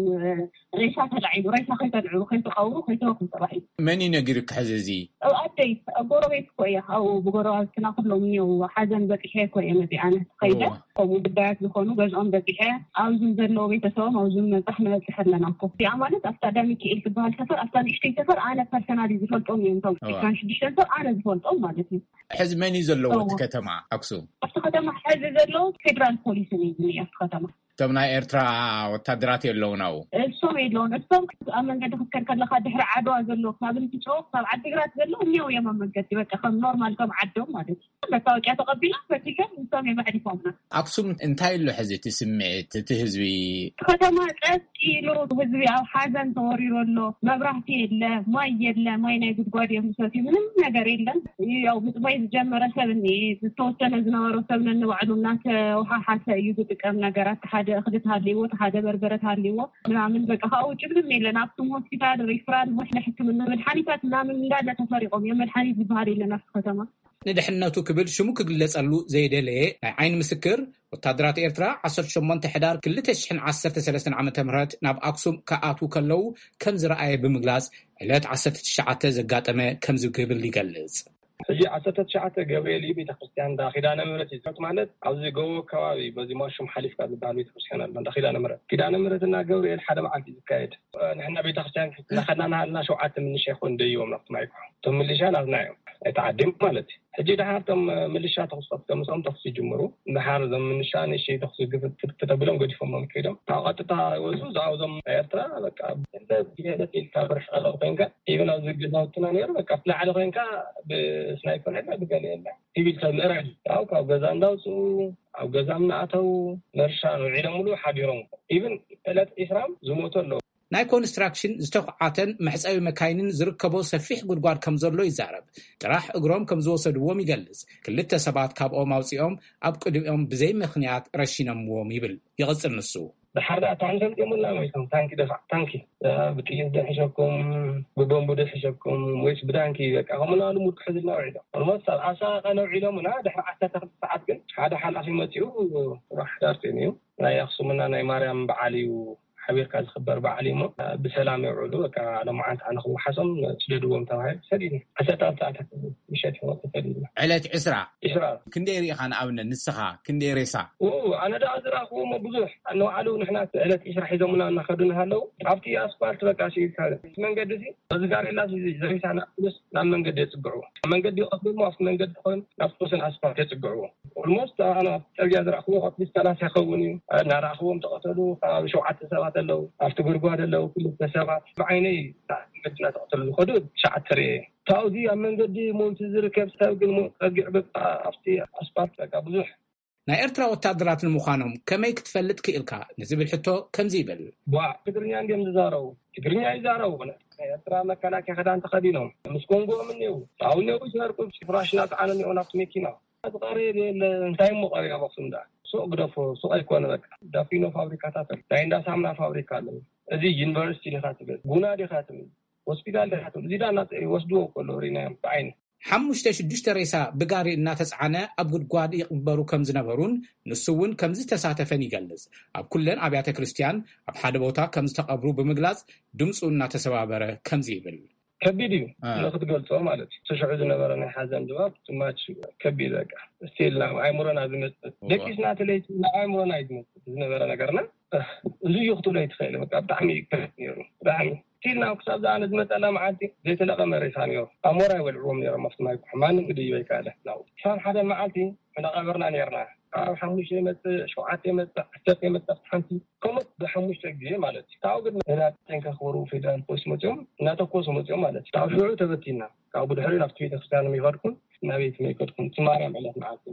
ሬሳ ተላዒሉ፣ ሬሳ ከይተልዕሉ፣ ከይትቐብሩ፣ ከይትረኽቡ ተባሂሉ። መን እዩ ነጊሩኪ ሕዚ እዚ? ኣብ ኣደይ፣ ኣብ ጎረቤት እኮ እየ። ኣብኡ ብጎረባብትና ኩሎም እኒኦ። ሓዘን በፂሐ እኮ እየ መፂኣ ኣነ ከይደ። እዋ። ከምኡ ጉዳያት ዝኾኑ ገዝኦም በፂሐ፣ ኣብዙም ዘለዎ ቤተሰቦም ኣብዙም መብፃሕ ንበፅሕ ኣለና እኮ። እዚኣ ማለት ኣብታ ዳሚካኤል ትበሃል ሰፈር፣ ኣብታ ንእሽተይ ሰፈር ኣነ ፐርሰናሊ ዝፈልጦም እዮም። እቶም እዋ። ዒስራን ሽዱሽተን ሰብ ኣነ ዝፈልጦም ማለት እዩ። ሕዚ መን እዩ ዘለዎ እቲ እዋ። ከተማ ኣክሱም? ኣብቲ ከተማ ሕዚ ዘለዎ ፌደራል ፖሊስን እዩ ዝኒኦ ኣብቲ ከተማ። እቶም ናይ ኤርትራ ወታደራት የለውን ኣብኡ? እሶም የለውን። እሶም ኣብ መንገዲ ክትከድ ከለኻ ድሕሪ ዓድዋ ዘሎ፣ ካብ እንትጮ፣ ካብ ዓዲግራት ዘሎ እኒአው እዮም ኣብ መንገዲ። በቃ ከም ኖርማል ከም ዓዶም ማለት እዩ። መታወቂያ ተቐቢሎም ፈቲሾም እሶም እዮም ኣዕሪፎምና። ኣክሱም እንታይ ኣሎ ሕዚ እቲ ስምዒት እቲ ህዝቢ? ከተማ ጸጥ ኢሉ፣ ህዝቢ ኣብ ሓዘን ተወሪሩ ኣሎ። መብራህቲ የለ፣ ማይ የለ፣ ማይ ናይ ጉድጓድ እዮም ዝሰትዩ፣ ምንም ነገር የለን። ያው ምጽባይ ዝጀመረ ሰብ እኒኤ፣ ዝተወሰነ ዝነበሮ ሰብ ነንባዕሉ እናተወሓሓሰ እዩ ዝጥቀም ነገራት። ሓደ እኽሊ ተሃልይዎ፣ ሓደ በርበረ ተሃልይዎ ምናምን፣ በቃ ካብ ውጭ ምንም የለን። ኣክሱም ሆስፒታል፣ ሪፍራል፣ ናይ ሕክምና መድሓኒታት ምናምን እንዳለ ተሰሪቖም እዮም። መድሓኒት ዝበሃል የለን ኣብቲ ከተማ። ንድሕነቱ ክብል ሽሙ ክግለጸሉ ዘይደለየ ናይ ዓይኒ ምስክር፣ ወታደራት ኤርትራ ዓሰርተ ሸሞንተ ሕዳር ክልተ ሽሕን ዓሰርተ ሰለስተን ዓመተ ምህረት ናብ ኣክሱም ክኣትዉ ከለዉ ከም ዝረኣየ ብምግላጽ፣ ዕለት ዓሰርተ ትሽዓተ ዘጋጠመ ከምዚ ክብል ይገልጽ። እዚ ዓሰርተ ትሽዓተ ገብርኤል እዩ። ቤተክርስትያን እንዳ ኪዳነ ምሕረት እዩ ዝከፍት፣ ማለት ኣብዚ ጎቦ ከባቢ በዚ ማሹም ሓሊፍካ ዝበሃል ቤተክርስትያን ኣሎ፣ እንዳ ኪዳነ ምሕረት። ኪዳነ ምሕረት እና ገብርኤል ሓደ መዓልቲ እዩ ዝካየድ። ንሕና ቤተክርስትያን እናኸድና እናሃለና ሸውዓተ ምንሻ ይኾን ደይቦም ናብቲ ማይ ይኩሑ። እቶም ምልሻ ናትና እዮም፣ እቲ ዓዲ ማለት እዩ። ሕጂ ደሓር እቶም ምልሻ ተኹሲ ከፍቶም፣ ምስኦም ተኹሲ ይጅምሩ። ደሓር እዞም ምንሻ ንእሽተይ ተኹሲ ግፍት ተቢሎም ገዲፎሞም ከይዶም። ካብ ቀጥታ ይወፁ። እዛ እዞም ናይ ኤርትራ በቃ እንደ ብሄለት ኢልካ ብርሕ ቀረብ ኮይንካ፣ ኢቨን ኣብዚ ገዛውትና ነይሩ፣ በቃ ኣብቲ ላዕሊ ኮይንካ ብስናይፐር የለ ብገለ የለ፣ ሲቪል ሰብ ምእራይ። ያው ካብ ገዛ እንዳውፅኡ፣ ኣብ ገዛ እናኣተው፣ መርሻ ንውዒሎም ሙሉ ሓዲሮም። ኢቨን ዕለት ዒስራም ዝሞቱ ኣለዉ። ናይ ኮንስትራክሽን ዝተኹዓተን መሕጸቢ መካይንን ዝርከቦ ሰፊሕ ጉድጓድ ከም ዘሎ ይዛረብ። ጥራሕ እግሮም ከም ዝወሰድዎም ይገልጽ። ክልተ ሰባት ካብኦም ኣውጺኦም ኣብ ቅድሚኦም ብዘይ ምኽንያት ረሺኖምዎም ይብል። ይቕጽል ንሱ። ድሓር ደኣ ታንኪ ኣምጺኦምልና፣ ወይ ታንኪ ደፋዕ፣ ታንኪ፣ እ፣ ብጥይት ዶ ሒሸኩም፣ ብቦምብ ዶ ሒሸኩም፣ ወይስ ብታንኪ፣ በቃ፣ ከምኡ እናበሉ ሙድ ክሕዙልና ውዒሎም። ኦልሞስት ኣብ ኣሰቃቂ ነውዒሎምና፣ ድሕሪ ዓሰርተ ክልተ ሰዓት ግን ሓደ ሓላፊ መጺኡ፣ ጽባሕ ሕዳር ኮይኑ እዩ። ናይ ኣኽሱምና ናይ ማርያም በዓል እዩ፣ ሓቢርካ ዝኽበር በዓል እዩ እሞ፣ ብሰላም የውዕሉ፣ በቃ፣ ሎማዓንቲ ኣነ ክወሓሶም ስደድዎም ተባሂሉ ተሰዲድና። ዓሰርተ ሰዓት ምሸት ይኾን ተሰዲድና። ዕለት ዕስራ። ዕስራ። ክንደይ ርኢኻ ንኣብነት ንስኻ? ክንደይ ሬሳ? ኡ፣ ኣነ ደኣ ዝረኣኽዎ እሞ ብዙሕ። ንባዕሉ ንሕና ዕለት ዕስራ ሒዞምና እናኸዱ እናሃለዉ፣ ኣብቲ ኣስፋልት በቃ ሲኢልካ፣ እቲ መንገዲ እዚ፣ በዚ ጋሬላ እዚ ዘሪሳና፣ ምስ ናብ መንገዲ የጽግዕዎ። መንገዲ ይቐስሉ እሞ፣ ኣብቲ መንገዲ ኮይኑ፣ ናብ ወሰን ኣስፋልት የጽግዕዎ። ኦልሞስት ኣነ ኣብቲ ጽርግያ ዝረኣኽዎ፣ ኣብ ሰላሳ ይኸውን እዩ። እናረኣኽዎም ተቐተሉ። ኣብ ሸውዓተ ሰባት ኣለዉ፣ ኣብቲ ጉድጓድ ኣለዉ፣ ክልተ ሰባት። ብዓይነይ መኪና ተቐተሉ ዝኸዱ ትሽዓተ ርኤ። ካብዚ ኣብ መንገዲ ሞይቱ ዝርከብ ሰብ ግን ሞ-፣ ጸጊዑ በቃ ኣብቲ ኣስፋልት በቃ ብዙሕ። ናይ ኤርትራ ወታደራት ንምዃኖም ከመይ ክትፈልጥ ክኢልካ ንዝብል ሕቶ ከምዚ ይብል። ዋ፣ ትግርኛ እንድዮም ዝዛረቡ። ትግርኛ ይዛረቡ። ናይ ኤርትራ መከላከያ ክዳን ተኸዲኖም። ምስ ኮንጎኦም እኒው። ኣብኡ እኒው ይሰርቁ። ፍራሽ እናጸዓኑ እኒው ናብቲ መኪና። ዝቐርብ የለ፣ እንታይ እሞ ቀሪብ ኣብ ኣኽሱም ደኣ? ሱቕ ግደፎ፣ ሱቕ ኣይኮነ በቃ። ዳፊኖ ፋብሪካታት ኣሎ። ናይ እንዳ ሳሙና ፋብሪካ ኣሎ። እዚ ዩኒቨርሲቲ ዲኻ ትብል? ጉና ዲኻ ትብል? ሆስፒታል ዲኻ ትብል? እዚ ደኣ እናጸ-፣ ይወስድዎ እኮ ኣለዉ፣ ሪናዮም ብዓይኒ። ሓሙሽተ ሽዱሽተ ሬሳ ብጋሪ እናተጻዕነ ኣብ ጉድጓድ ይቕበሩ ከም ዝነበሩን ንሱ እውን ከም ዝተሳተፈን ይገልጽ። ኣብ ኩለን ኣብያተ ክርስቲያን ኣብ ሓደ ቦታ ከም ዝተቐብሩ ብምግላጽ ድምጹ እናተሰባበረ ከምዚ ይብል። ከቢድ እዩ አ። ንኽትገልጾ ማለት እዩ። እቲ ሽዑ ዝነበረ ናይ ሓዘን ድባብ ትማች ከቢድ በቃ። ስቲል ናብ ኣእምሮና ዝመጽእ። እዋ። ደቂስና እቲ ለይቲ ናብ ኣእምሮና እዩ ዝመጽእ ዝነበረ ነገርና። እዚ እዩ ክትብሎ ኣይትኽእል። በቃ ብጣዕሚ እዩ ከቢድ ነይሩ። ብጣዕሚ። ስቲል ናብ ክሳብ ዝኣነ ዝመጸላ መዓልቲ ዘይተለቐመ ሬሳ ነይሩ። ኣሞራ ይበልዕዎም ነይሮም ኣብቲ ማይ ኩሑ። ማንም ክድይብ ኣይከኣለ። ናብኡ። ክሳብ ሓደ መዓልቲ እናቐበርና ነይርና። ካብ ሓሙሽተ ይመጽእ፣ ሸውዓተ ይመጽእ፣ ዓሰርተ ይመጽእ፣ ኣብቲ ሓንቲ ከምኡ ብሓሙሽተ ግዜ ማለት እዩ። ካብኡ ግን ንናተን ከኽብሩ ፌደራል ፖሊስ መጺኦም፣ እናተኮሱ መጺኦም ማለት እዩ። ካብ ሽዑ ተበቲና። ካብ ብድሕሪኡ ናብቲ ቤተክርስትያን ይኸድኩን፣ ናበይ ትመይ ከድኩን፣ እቲ ማርያም ዕለት መዓልቲ።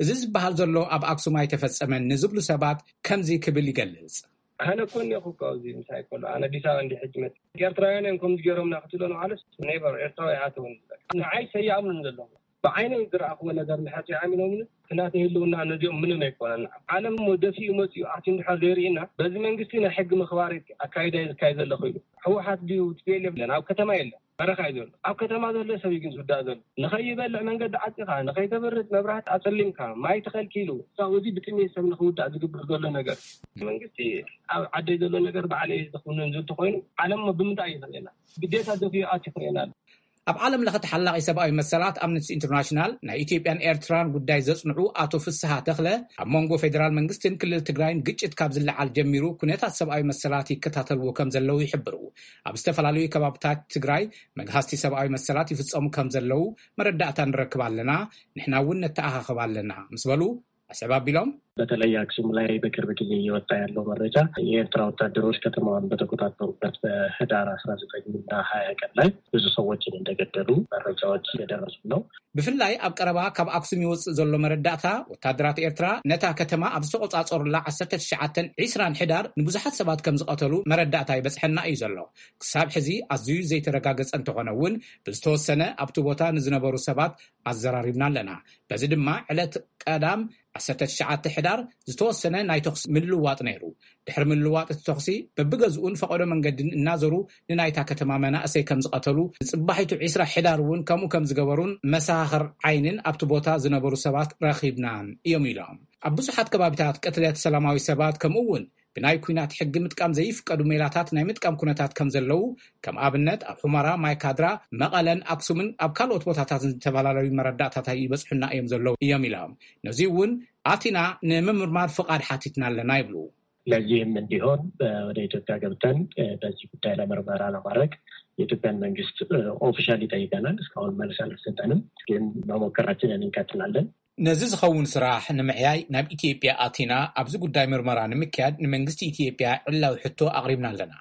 እዚ ዝበሃል ዘሎ ኣብ ኣክሱም ኣይተፈጸመን ንዝብሉ ሰባት ከምዚ ክብል ይገልጽ። ኣነ እኮ እኒኦኹ እኮ ኣብዚ ምሳይ ከሎ፣ ኣነ ኣዲስ ኣበባ እንዲሕ ሕጂ መጽእ። ኤርትራውያን እዮም ከምዚ ገይሮምና ክትብሎ ንማለስ፣ ኔቨር፣ ኤርትራዊ ኣይኣተውን። ንዓይ ሰይኣምኑን ዘለኹ። ብዓይነይ ዝረኣኽዎ ነገር እንድሕር ሰይኣሚኖምኒ፣ እቲ ናተይ ህልውና ነዚኦም ምንም ኣይኮነን። ዓለም እሞ ደፊኡ መጺኡ ኣትዩ እንድሕር ዘይርኢና፣ በዚ መንግስቲ ናይ ሕጊ ምኽባር ኣካይዳ እዩ ዝካየድ ዘሎ ኮይኑ። ህወሓት ድዩ ቲ ፒ ኤል ኤፍ የለን፣ ኣብ ከተማ የለን፣ በረኻ እዩ ዘሎ። ኣብ ከተማ ዘሎ ሰብ እዩ ግን ዝውዳእ ዘሎ። ንኸይበልዕ መንገዲ ዓጺኻ፣ ንኸይተብርህ መብራህቲ ኣጸሊምካ፣ ማይ ተኸልኪሉ፣ ሳብ እዚ ብጥሜት ሰብ ንኽውዳእ ዝግበር ዘሎ ነገር። መንግስቲ ኣብ ዓደይ ዘሎ ነገር ባዕለይ ዝኽውንን ዝብል ተኾይኑ፣ ዓለም እሞ ብምንታይ እዩ ክርእየና? ግዴታ ደፊኡ ኣትዩ ክርእየና ኣሎ። ኣብ ዓለም ለኸ ተሓላቒ ሰብኣዊ መሰላት ኣምነስቲ ኢንተርናሽናል ናይ ኢትዮጵያን ኤርትራን ጉዳይ ዘጽንዑ ኣቶ ፍስሃ ተኽለ፣ ኣብ መንጎ ፌደራል መንግስትን ክልል ትግራይን ግጭት ካብ ዝለዓል ጀሚሩ ኩነታት ሰብኣዊ መሰላት ይከታተልዎ ከም ዘለዉ ይሕብሩ። ኣብ ዝተፈላለዩ ከባብታት ትግራይ መግሃስቲ ሰብኣዊ መሰላት ይፍጸሙ ከም ዘለዉ መረዳእታ ንረክብ ኣለና፣ ንሕና እውን ነተኣኻኽብ ኣለና ምስ በሉ፣ ኣስዕብ ኣቢሎም። በተለይ አክሱም ላይ በቅርብ ጊዜ እየወጣ ያለው መረጃ የኤርትራ ወታደሮች ከተማዋን በተቆጣጠሩበት በህዳር አስራ ዘጠኝ እና ሃያ ቀን ላይ ብዙ ሰዎችን እንደገደሉ መረጃዎች እየደረሱ ነው። ብፍላይ ኣብ ቀረባ ካብ ኣክሱም ይወጽእ ዘሎ መረዳእታ፣ ወታደራት ኤርትራ ነታ ከተማ ኣብ ዝተቖጻጸሩላ ዓሰርተ ትሽዓተን ዕስራን ሕዳር ንብዙሓት ሰባት ከም ዝቐተሉ መረዳእታ ይበጽሐና እዩ ዘሎ። ክሳብ ሕዚ ኣዝዩ ዘይተረጋገጸ እንተኾነ እውን፣ ብዝተወሰነ ኣብቲ ቦታ ንዝነበሩ ሰባት ኣዘራሪብና ኣለና። በዚ ድማ ዕለት ቀዳም ዓሰርተ ትሽዓተ ሕዳር ዝተወሰነ ናይ ተኹሲ ምልውዋጥ ነይሩ። ድሕሪ ምልውዋጥ እቲ ተኹሲ በብገዝኡን ፈቐዶ መንገድን እናዞሩ ንናይታ ከተማ መናእሰይ ከም ዝቐተሉ፣ ንጽባሒቱ ዕስራ ሕዳር እውን ከምኡ ከም ዝገበሩን መሰኻኽር ዓይንን ኣብቲ ቦታ ዝነበሩ ሰባት ረኺብናን እዮም ኢሎም። ኣብ ብዙሓት ከባቢታት ቅትለት ሰላማዊ ሰባት ከምኡ እውን ብናይ ኲናት ሕጊ ምጥቃም ዘይፍቀዱ ሜላታት ናይ ምጥቃም ኩነታት ከም ዘለዉ፣ ከም ኣብነት ኣብ ሑመራ፣ ማይካድራ፣ መቐለን ኣክሱምን ኣብ ካልኦት ቦታታትን ዝተፈላለዩ መረዳእታታት ይበጽሑና እዮም ዘለዉ እዮም ኢሎም። ነዚ እውን ኣቲና ንምምርማር ፍቓድ ሓቲትና ኣለና ይብሉ። ለዚህም እንዲሆን ወደ ኢትዮጵያ ገብተን በዚህ ጉዳይ ላይ ምርመራ ለማድረግ የኢትዮጵያን መንግስት ኦፊሻሊ ጠይቀናል። እስካሁን መልስ አልተሰጠንም፣ ግን መሞከራችንን እንቀጥላለን። ነዚ ዝኸውን ስራሕ ንምዕያይ ናብ ኢትዮጵያ ኣቲና ኣብዚ ጉዳይ ምርመራ ንምክያድ ንመንግስቲ ኢትዮጵያ ዕላዊ ሕቶ ኣቕሪብና ኣለና።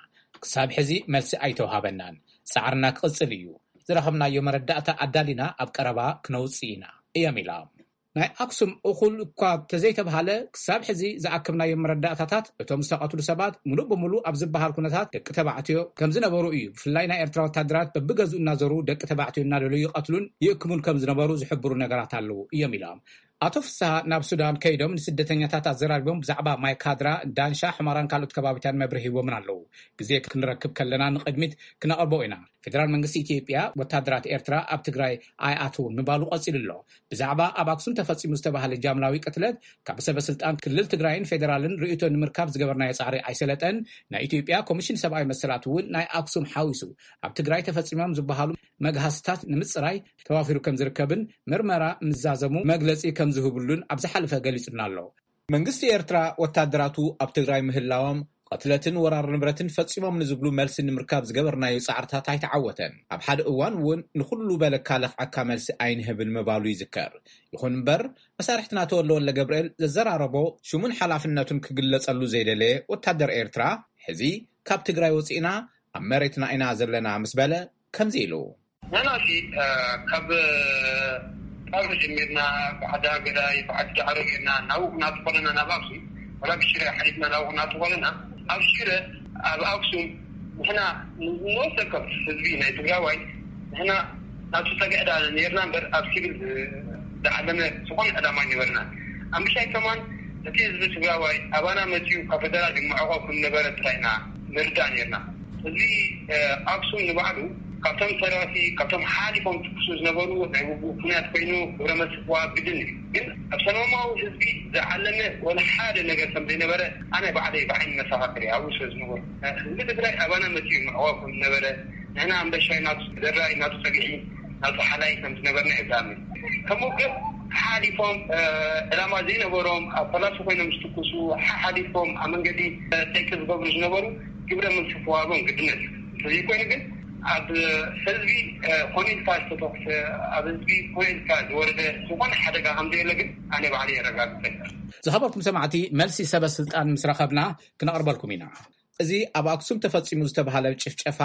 ክሳብ ሕዚ መልሲ ኣይተውሃበናን። ጻዕርና ክቕጽል እዩ። ዝረኸብናዮ መረዳእታ ኣዳሊና ኣብ ቀረባ ክነውጽእ ኢና እዮም ኢሎም። ናይ ኣክሱም እኹል እኳ ተዘይተብሃለ፣ ክሳብ ሕዚ ዝኣከብናዮም መረዳእታታት እቶም ዝተቐትሉ ሰባት ሙሉእ ብሙሉእ ኣብ ዝበሃል ኩነታት ደቂ ተባዕትዮ ከም ዝነበሩ እዩ። ብፍላይ ናይ ኤርትራ ወታደራት በብገዝኡ እናዞሩ ደቂ ተባዕትዮ እናደለዩ ይቐትሉን ይእክሙን ከም ዝነበሩ ዝሕብሩ ነገራት ኣለዉ እዮም ኢሎም። ኣቶ ፍስሃ ናብ ሱዳን ከይዶም ንስደተኛታት ኣዘራሪቦም ብዛዕባ ማይካድራ፣ ዳንሻ፣ ሕመራን ካልኦት ከባቢታት መብርሂ ሂቦምን ኣለዉ። ግዜ ክንረክብ ከለና ንቕድሚት ክነቕርቦ ኢና። ፌደራል መንግስቲ ኢትዮጵያ ወታደራት ኤርትራ ኣብ ትግራይ ኣይኣትውን ምባሉ ቀጺሉ ኣሎ። ብዛዕባ ኣብ ኣክሱም ተፈጺሙ ዝተባህለ ጃምላዊ ቅትለት ካብ ሰበ ስልጣን ክልል ትግራይን ፌደራልን ርእይቶ ንምርካብ ዝገበርናዮ ጻዕሪ ኣይሰለጠን። ናይ ኢትዮጵያ ኮሚሽን ሰብኣዊ መሰላት እውን ናይ ኣክሱም ሓዊሱ ኣብ ትግራይ ተፈጺሞም ዝበሃሉ መግሃስታት ንምጽራይ ተዋፊሩ ከም ዝርከብን ምርመራ ምዛዘሙ መግለጺ ከም ዝህብሉን ኣብ ዝሓለፈ ገሊጹና ኣሎ። መንግስቲ ኤርትራ ወታደራቱ ኣብ ትግራይ ምህላዎም ቅትለትን ወራር ንብረትን ፈጺሞም ንዝብሉ መልሲ ንምርካብ ዝገበርናዮ ጻዕርታት ኣይተዓወተን። ኣብ ሓደ እዋን እውን ንኹሉ በለካ ለኽዓካ መልሲ ኣይንህብን ምባሉ ይዝከር። ይኹን እምበር መሳርሕትና ተወልደ ወልደ ገብርኤል ዘዘራረቦ ሽሙን ሓላፍነቱን ክግለጸሉ ዘይደለየ ወታደር ኤርትራ ሕዚ ካብ ትግራይ ወጺእና ኣብ መሬትና ኢና ዘለና ምስ በለ ከምዚ ኢሉ። ንሕና ሲ ካብ ጣብሪ ጀሚርና ብዓዲ ሃገዳይ ብዓዲ ዳዕሮ ጌርና ናብኡ ክናቱ ኮለና ናብ ኣክሱም ወላ ብሽረ ሓሊፍና ናብኡ ክናቱ ኮለና ኣብ ሽረ ኣብ ኣክሱም ንሕና ንወሰከብ ህዝቢ ናይ ትግራዋይ ንሕና ናቱ ጸግዕዳ ነርና እምበር ኣብ ሲቪል ዝዓለመ ዝኾነ ዕላማ ኣይነበርና። ኣምሻይ ከማን እቲ ህዝቢ ትግራዋይ ኣባና መፅዩ ካብ ፈደራል ይመዕቆ ከም ነበረ ጥራይና ንርዳእ ነርና። እዚ ኣክሱም ንባዕሉ ካብቶም ተረርቲ ካብቶም ሓሊፎም ትኩሱ ዝነበሩ ናይ ውግእ ኩናት ኮይኑ ግብረ መስፍዋ ግድን እዩ። ግን ኣብ ሰላማዊ ህዝቢ ዝዓለመ ወላ ሓደ ነገር ከም ዘይነበረ ኣነ ባዕለይ ብዓይኒ መሰኻክር እየ። ኣብኡ ስለ ዝነበሩ ህዝቢ ትግራይ ኣባና መፅዩ ይመዕቆ ከም ዝነበረ ንሕና ኣንበሻይ ናቱ ደራይ ናቱ ፀግዒ ናቱ ሓላይ ከም ዝነበርና እየ ዝኣምን። ከምኡ ግን ሓሊፎም ዕላማ ዘይነበሮም ኣብ ፈላሲ ኮይኖም ዝትኩሱ ሓሓሊፎም ኣብ መንገዲ ጠቂ ዝገብሩ ዝነበሩ ግብረ መልሲ ክዋሃቦም ግድነት እዩ። እንተዘይኮይኑ ግን ኣብ ህዝቢ ኮነ ኢልካ ዝተተኩሰ ኣብ ህዝቢ ኮነ ኢልካ ዝወረደ ዝኾነ ሓደጋ ከም ዘየለ ግን ኣነ ባዕለ የረጋግፀልካ። ዝኸበርኩም ሰማዕቲ መልሲ ሰበ ስልጣን ምስ ረኸብና ክነቕርበልኩም ኢና። እዚ ኣብ ኣክሱም ተፈጺሙ ዝተባህለ ጭፍጨፋ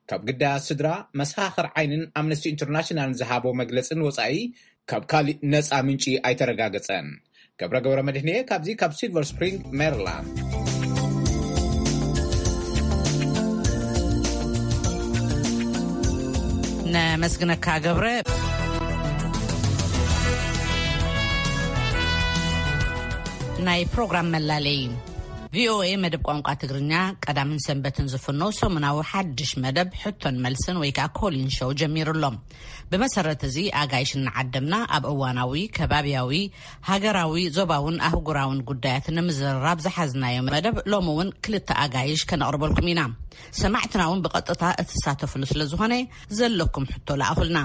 ካብ ግዳያት ስድራ መሰኻኽር ዓይንን ኣምነስቲ ኢንተርናሽናልን ዝሃቦ መግለጽን ወጻኢ ካብ ካሊእ ነጻ ምንጪ ኣይተረጋገጸን። ገብረ ገብረ መድህንየ ካብዚ ካብ ሲልቨር ስፕሪንግ ሜሪላንድ። ነመስግነካ ገብረ። ናይ ፕሮግራም መላለይ ቪኦኤ መደብ ቋንቋ ትግርኛ ቀዳምን ሰንበትን ዝፍኖ ሰሙናዊ ሓድሽ መደብ ሕቶን መልስን ወይ ከዓ ኮሊን ሾው ጀሚሩ ኣሎ። ብመሰረት እዚ ኣጋይሽ እናዓደምና ኣብ እዋናዊ ከባቢያዊ ሃገራዊ ዞባውን ኣህጉራውን ጉዳያት ንምዝርራብ ዝሓዝናዮ መደብ ሎሚ እውን ክልተ ኣጋይሽ ከነቕርበልኩም ኢና። ሰማዕትና እውን ብቐጥታ እትሳተፍሉ ስለ ዝኾነ ዘለኩም ሕቶ ለኣኹልና።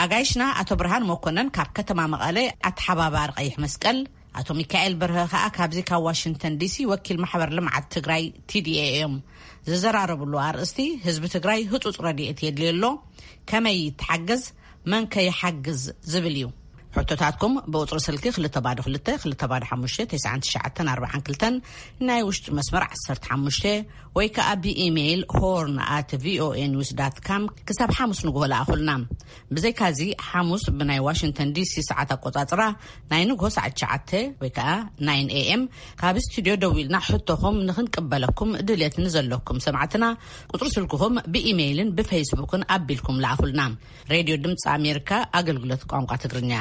ኣጋይሽና ኣቶ ብርሃን መኮነን ካብ ከተማ መቐለ ኣተሓባባሪ ቀይሕ መስቀል፣ ኣቶ ሚካኤል በርሀ ከኣ ካብዚ ካብ ዋሽንግተን ዲሲ ወኪል ማሕበር ልምዓት ትግራይ ቲዲኤ እዮም። ዝዘራረብሉ ኣርእስቲ ህዝቢ ትግራይ ህፁፅ ረድኤት የድልዮ ኣሎ፣ ከመይ ይተሓገዝ፣ መን ከ ይሓግዝ ዝብል እዩ። ሕቶታትኩም ብቁፅሪ ስልኪ ክልተ ባዶ ክልተ ክልተ ባዶ ሓሙሽተ ተስዓን ትሽዓተን ኣርባዓን ክልተን ናይ ውሽጢ መስመር ዓሰርተ ሓሙሽተ ወይ ከዓ ብኢሜይል ሆርን ኣት ቪኦኤ ኒውስ ዳት ካም ክሳብ ሓሙስ ንግሆ ለኣኹልና። ብዘይካዚ ሓሙስ ብናይ ዋሽንግተን ዲሲ ሰዓት ኣቆፃፅራ ናይ ንግሆ ሰዓት ትሽዓተ ወይ ከዓ ናይን ኤ ኤም ካብ ስቱድዮ ደዊልና ሕቶኹም ንኽንቅበለኩም ድልየት ንዘለኩም ሰማዕትና ቁፅሪ ስልክኹም ብኢሜይልን ብፌስቡክን ኣቢልኩም ለኣኹልና። ሬድዮ ድምፂ ኣሜሪካ ኣገልግሎት ቋንቋ ትግርኛ።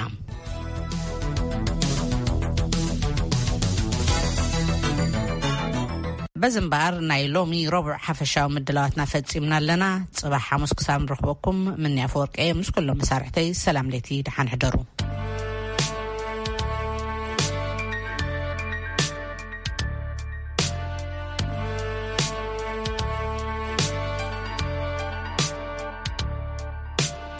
በዚ እምበኣር ናይ ሎሚ ረቡዕ ሓፈሻዊ ምድላዋትና ፈፂምና ኣለና። ፅባሕ ሓሙስ ክሳብ ንረኽበኩም ምንያ ፈወርቀ ምስ ኩሎም መሳርሕተይ ሰላም ለይቲ ደሓን ሕደሩ።